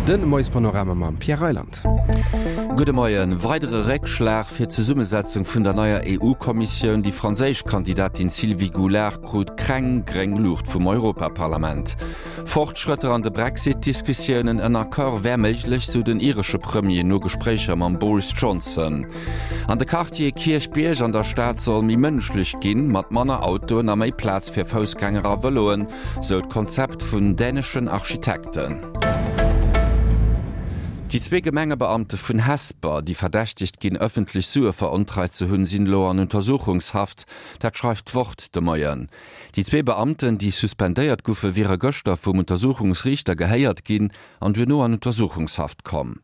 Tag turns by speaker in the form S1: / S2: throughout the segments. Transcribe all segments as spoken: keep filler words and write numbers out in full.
S1: De Moiespanorama mam Pierre Reyland.
S2: Gudde Moien. Weidere Réckschlag fir d'Zesummesetzung vun der neier EU-Kommissioun, Déi franséisch Kandidatin Sylvie Goulard krut kreng gréng Luucht vum Europaparlament. Fortschrëtter an de Brexit-Diskussiounen, En Accord wär méiglech, sou den iresche Premier no Gespréicher mam Boris Johnson. An de Quartier Kierchbierg an der Stad soll méi mënschlech ginn, mat manner Autoen a méi Plaz fir Foussgänger a Vëloen, sou d'Konzept vun däneschen Architekten. Déi zwee Gemengebeamte vun Hesper, déi verdächtegt ginn, ëffentlech Sue verontreit ze hunn, sinn elo an Untersuchungshaft. Dat schreift d'Wort de Moien. Déi zwee Beamten, déi suspendéiert goufe, wiere gëschter vum Untersuchungsriichter gehéiert ginn an duerno an Untersuchungshaft komm.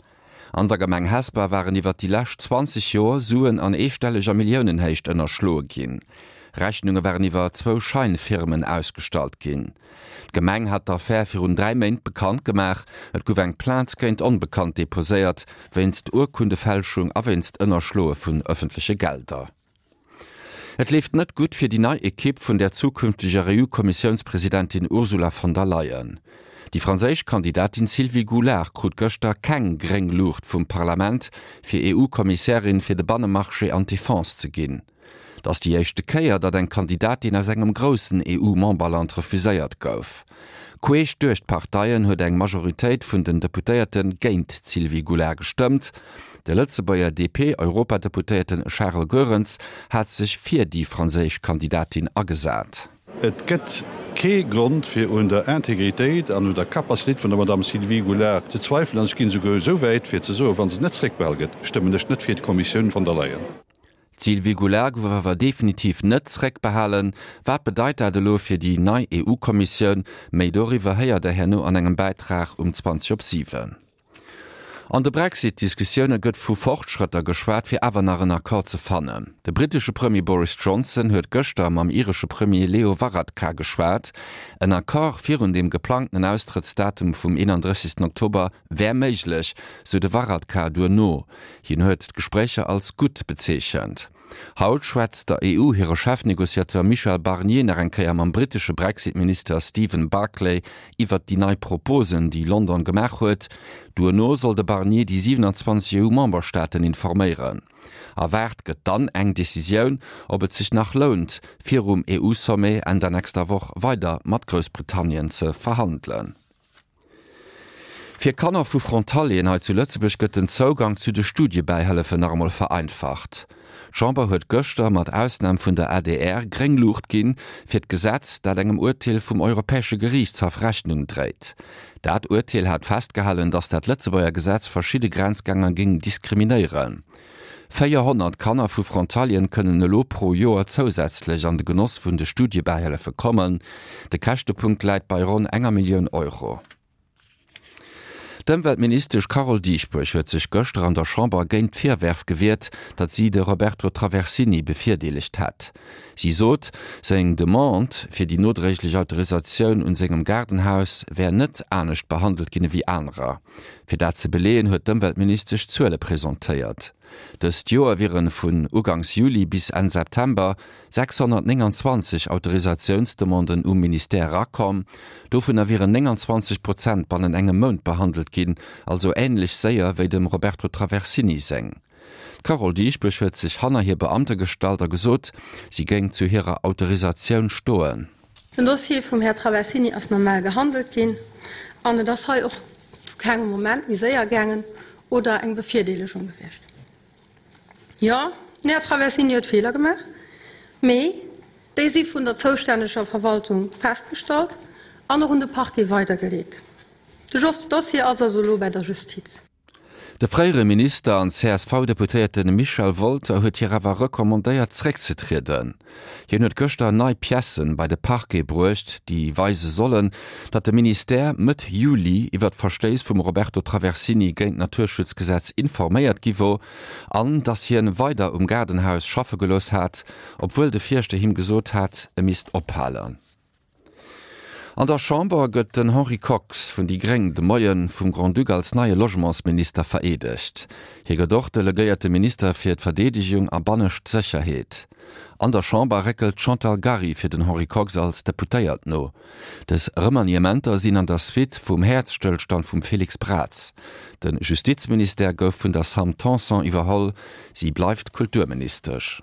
S2: An der Gemeng Hesper waren iwwer déi lescht zwanzeg Joer Suen an eestelleger Milliounenhéicht ënnerschloe ginn. Rechnunge waren iwwer zwou Scheinfirmen ausgestallt ginn. D'Gemeng hat d'Affär virun dräi Méint bekannt gemaach. Et gouf eng Plainte géint Onbekannt deposéiert, wéinst Urkundefälschung a wéinst Ënnerschloe vun ëffentleche Gelder. Et leeft net gutt fir déi nei Ekipp vun der zukünfteger EU-Kommissiounspresidentin Ursula von der Leyen. Déi franséisch Kandidatin Sylvie Goulard krut gëschter keng gréng Luucht vum Parlament, fir EU-Kommissärin fir de Bannemarché an d'Defense ze ginn. Et ass déi éischte Kéier, datt eng Kandidatin aus engem groussen EU-Memberland refuséiert gouf. Queesch duerch d'Parteien huet eng Majoritéit vun den Deputéierte géint d'Sylvie Goulard gestëmmt. De Lëtzebuerger D P-Europadeputéierten Charles Goerens hat sech fir déi franséisch Kandidatin agesat.
S3: Et gëtt kee Grond fir un der Integritéit an un der Capacitéit vun der Madame Sylvie Goulard ze zweifelen an ech ginn esouguer esou wäit fir ze soen, wa se net zréckbehal gëtt, stëmmen ech net fir d'Kommissioun von der Leyen.
S2: D'Sylvie Goulard gouf awer definitiv net zréckbehalen. Wat bedeit dat elo fir déi nei E U-Kommissioun? Méi doriwwer héiert der herno an engem Bäitrag um zwanzeg op siwen. An de Brexit-Diskussioune gëtt vu Fortschrëtter geschwat, fir awer nach en Accord ze fannen. De brittesche Premier Boris Johnson huet gëschter mam iresche Premier Leo Varadkar geschwat. En Accord virun dem geplangten Austrëttsdatum vum eenandrëssegsten Oktober wär méiglech, sou de Varadkar duerno. Hien huet d'Gespréicher als gutt bezeechent. Haut schwätzt der E U hire Chefnegociateur Michel Barnier nach eng Kéier mam brittesche Brexit-Minister Stephen Barclay iwwert déi nei Proposen, déi London gemaach huet. Duerno soll de Barnier déi siewenanzwanzeg E U-Memberstaaten informéieren. Erwaart gëtt dann eng Decisioun, ob et sech nach lount, virum E U-Sommet Enn der nächster Woch weider mat Groussbritannien ze verhandelen. Fir Kanner vu Frontalieren hei zu Lëtzebuerg gëtt den Zougang zu de Studiebäihëllefen nach emol vereinfacht. D'Chamber huet gëschter, mat Ausnam vun der A D R, gréng Luucht ginn fir d'Gesetz, dat engem Urteel vum Europäesche Geriichtshaff Rechnung dréit. Dat Urteel hat festgehalen, datt dat Lëtzebuerger Gesetz verschidde Grenzgänger géing diskriminéieren. Véierhonnert Kanner vu Frontalieren kënnen elo pro Joer zousätzlech an de Genoss vun de Studiebäihëllefe kommen. De Käschtepunkt läit bei ronn enger Millioun Euro. D'Ëmweltministesch Carole Dieschbourg huet sech gëschter an der Chamber géint d'Virwërf gewiert, datt si de Roberto Traversini bevirdeelegt hätt. Si sot, seng Demande fir déi nodréiglech Autorisatioun un sengem Gaardenhaus wär net anescht behandelt ginn ewéi anerer. Fir dat ze beleeën, huet d'Ëmweltministesch Zuele presentéiert. Dëst Joer wiere vun ugangs Juli bis Enn September sechshonnertnénganzwanzeg Autorisatiounsdemanden um Ministère erakomm. Dovunner wieren nénganzwanzeg Prozent bannen engem Mount behandelt ginn, also änlech séier wéi dem Roberto Traversini seng. D'Carole Dieschbourg huet sech hanner hir Beamte gestallt a gesot, si géing zu hirer Autorisatioun stoen.
S4: Den Dossier vum Här Traversini ass normal gehandelt ginn an et ass hei och zu kengem Moment méi séier gaangen oder eng Bevirdeelegung gewiescht. Jo, den Här Traversini huet Feeler gemaach, mee déi si vun der zoustänneger Verwaltung festgestallt an och un de Parquet weidergeleet. De Dossier ass also elo bei der Justiz.
S2: De fréiere Minister an C S V-Deputéierte Michel Wolter huet hir awer recommandéiert zréckzetrieden. Hien huet gëschter nei Piècë bei de Parquet bruecht, déi weise sollen, datt de Ministère Mëtt Juli iwwer d'Verstéiss vum Roberto Traversini géint d'Naturschutzgesetz informéiert gi wor an datt hien weider um Gaardenhaus schaffe gelooss hat, obwuel de Fierschter him gesot hat, e misst ophalen. An der Chamber gëtt den Henri Kox vun déi Gréng de Moie vum Grand-Duc als neie Logementsminister vereedegt. Hie gëtt och delegéierte Minister fir d'Verdeedegung a bannescht Sécherheet. An der Chamber réckelt d'Chantal Gary fir den Henri Kox als Deputéiert no. Dës Remaniementer sinn an der Suite vum Häerzstëllstand vum Félix Braz. De Justizministère gouf vun der Sam Tanson iwwerholl, si bleift Kulturministesch.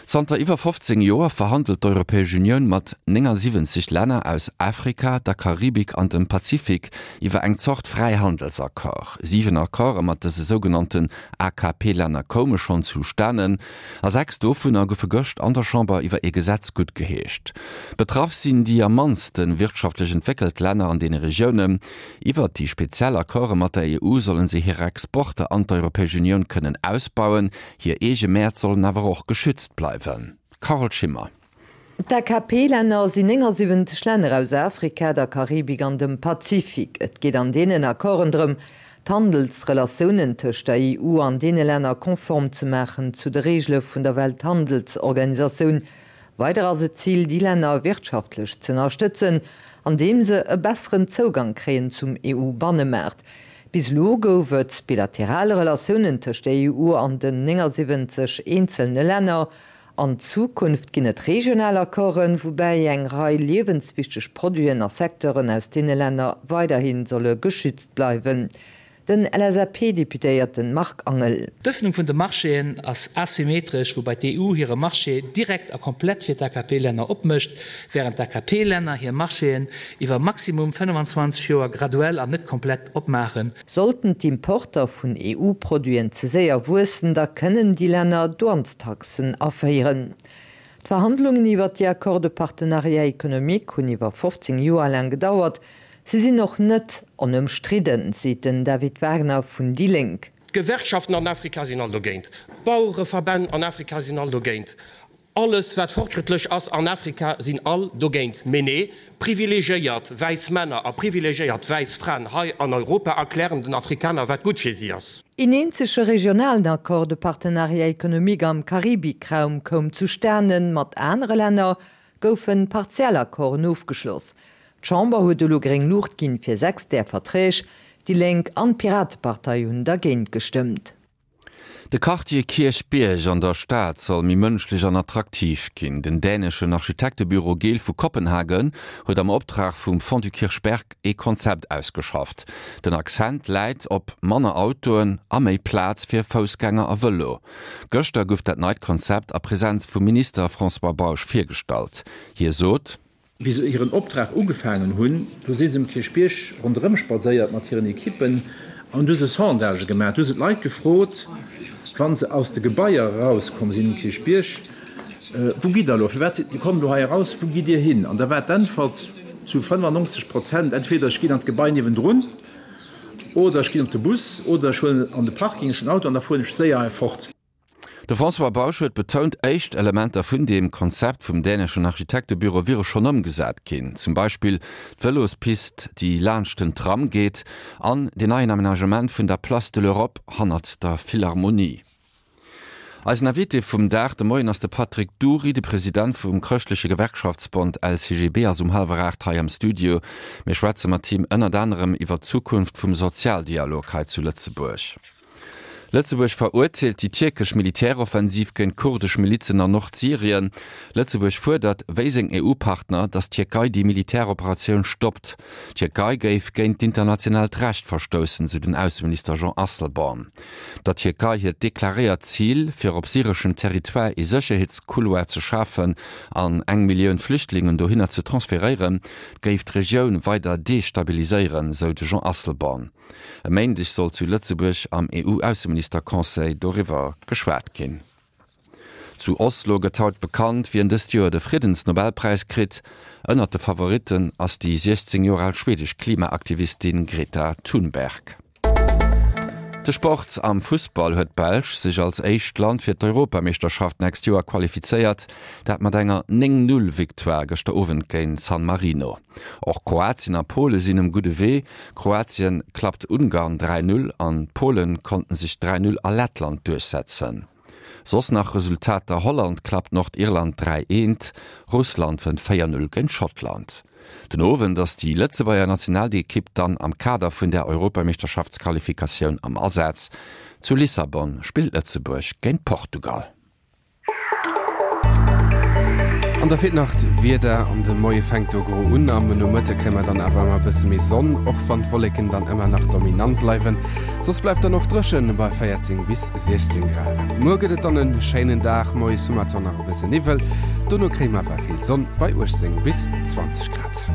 S2: Zanter iwwer fofzéng Joer verhandelt d'Europäesch Unioun mat néngasiwwenzeg Länner aus Afrika, der Karibik an dem Pazifik iwwer eng Zort Fräihandelsaccord. Siwen Accorde mat dëse sougenannten A K P-Länner koume schonn zustanen, a sechs dovunner goufe gëscht an der Chamber iwwer ee Gesetz guttgeheescht. Betraff sinn déi am mannste wirtschaftlech entwéckelt Länner an deene Regiounen. Iwwert déi speziell Accorde mat der E U sollen se hir Exporter an d'Europäesch Unioun kënnen ausbauen, hir eege Mäert sollen awer och geschützt bleiwen. Carole Schimmer.
S5: D'A K P-Länner sinn néngasiwwenzeg Länner aus Afrika, der Karibik an dem Pazifik. Et geet an deenen Accorden drëm, d'Handelsrelatiounen tëscht der E U an deene Länner konform ze maachen zu de Reegele vun der Welthandelsorganisatioun. Weider ass et d'Zil, déi Länner wirtschaftlech z'ënnerstëtzen, andeem se e besseren Zougang kréien zum E U-Bannemaart. Bis elo gouf et bilateral Relatiounen tëscht der E U an den néngasiwwenzeg eenzelne Länner. An Zukunft ginn et regional Accorden, woubäi eng Rei liewenswichteg Produiten a Secteuren aus deene Länner weiderhi solle geschützt bleiwen. Den L S A P-Deputéierte Marc Angel.
S6: D'Ëffnung vun de Marchéen ass asymmetresch, woubäi d'E U hire Marché direkt a komplett fir d'A K P-Länner opmécht, wärend d'A K P-Länner hir Marchéen iwwer maximum fënnfanzwanzeg Joer graduell an net komplett opmaachen.
S5: Sollten d'Importer vun E U-Produiten ze séier wuessen, da kënnen déi Länner Douanestaxen aféieren. D'Verhandlungen iwwer déi Accords de partenariat économique hunn iwwer fofzéng Joer laang gedauert. Si sinn och net onëmstridden, seet den David Wagner vun déi Lénk.
S7: D'Gewerkschaften an Afrika sinn all dogéint. D'Bauereverbänn an Afrika sinn all dogéint. Alles wat fortschrëttlech ass an Afrika sinn all dogéint. Mee nee, privilegiéiert wäiss Männer a privilegiéiert wäiss Fraen hei an Europa erklären den Afrikaner wat gutt fir si ass.
S5: Een eenzege regionalen Accord de partenariat économique am Karibikraum koum zustanen, mat anere Länner goufe partiell Accorden ofgeschloss. D'Chamber huet elo gréng Luucht ginn fir sechs där Verträg, déi Lénk an d'Piratepartei hunn dergéint gestëmmt.
S2: De Quartier Kierchbierg an der Stad soll méi mënschlech an attraktiv ginn. Den däneschen Architektebüro Gehl vu Kopenhagen huet am Optrag vum Fonds du Kirchberg ee Konzept ausgeschafft. Den Accent läit op manner Autoen a méi Plaz fir Foussgänger a Vëlo. Gëschter gouf dat neit Konzept a Presenz vum Minister François Bausch virgestallt. Hie sot:
S8: Wéi se hiren Optrag ugefaangen hunn, do si se um Kierchbierg ronderëm spadséiert mat hiren Ekippen an du se Sondagë gemaach. Du se d'Leit gefrot, wann se aus de Gebaier erauskomm sinn um Kierchbierg, Wou gitt der elo? Firwat sidd Dir kommt elo hei eraus? Wou gitt Dir hin? An da war d'Äntwert zu fënnefannonzeg Prozent, Entweder ech ginn an d'Gebai niewendrun oder ech ginn op de Bus oder ech huelen an de Parking, ech hunn en Auto an da fueren ech séier hei fort.
S2: De François Bausch huet betount, éischt Elementer vun deem Konzept vum däneschen Architektebüro wiere schonn ëmgesat ginn, zum Beispill d'Vëlospist, déi laanscht den Tram geet, an den neien Amenagement vun der Place de l'Europe hannert der Philharmonie. Eisen Invité vum Dag de Moien ass de Patrick Dury, de President vum chrëschtleche Gewerkschaftsbond L C G B ass um hallwer aacht hei am Studio. Mir schwätze mat him ënnert anerem iwwer d'Zukunft vum Sozialdialog hei zu Lëtzebuerg. Lëtzebuerg verurteelt déi tierkesch Militäroffensiv géint kurdesch Milizen an Nordsyrien. Lëtzebuerg fuerdert, wéi seng E U-Partner, datt d'Tierkei déi Militäroperatioun stoppt. D'Tierkei géif géint d'internationaalt Recht verstoussen, sou den Ausseminister Jean Asselborn. Der Tierkei hiert deklaréiert Zil, fir op syreschem Territoire ee Sécherheetscouloir ze schafen an eng Millioun Flüchtlingen dohinner ze transferéieren, géif d'Regioun weider destabiliséieren, sou de Jean Asselborn. E Méindeg soll zu Lëtzebuerg am E U-Ausseministerconseil doriwwer geschwat ginn. Zu Oslo gëtt haut bekannt, wien dëst Joer de Friddensnobelpräis kritt. Ënnert de Favoritten ass déi siechzéng Joer al schwedesch Klimaaktivistin Greta Thunberg. De Sport: Am Fussball huet d'Belsch sech als éischt Land fir d'Europameeschterschaft d'nächst Joer qualifizéiert, dat mat enger néng-null-Victoire gëschter Owend géint San Marino. Och Kroatien a Pole sinn um gudde Wee. Kroatien klappt Ungarn dräi-null an d'Pole konnten sech dräi-null a Lettland duerchsetzen. Soss nach Resultater, Holland klappt Nordirland dräi-eent, Russland wënnt véier-null géint Schottland. Den Owend ass déi Lëtzebuerger Nationalekipp dann am Kader vun der Europameeschterschaftsqualifikatioun am Asaz. Zu Lissabon spillt Lëtzebuerg géint Portugal.
S1: An da feelt nach d'Wieder an de Moie fänkt do gro un. Am Nomëtte kréie mer dann awer ëmmer e bësse méi Sonn, och wann d'Wolleken dann ëmmer nach dominant bleiwen. Soss bleift dann och dréchen bei véierzéng bis siechzéng Grad. Muer gëtt et dann e schéinen Dag, moies hu mer zwar nach e bësse Niwwel, dono kréie mer awer vill Sonn bei uechtzéng bis zwanzeg Grad.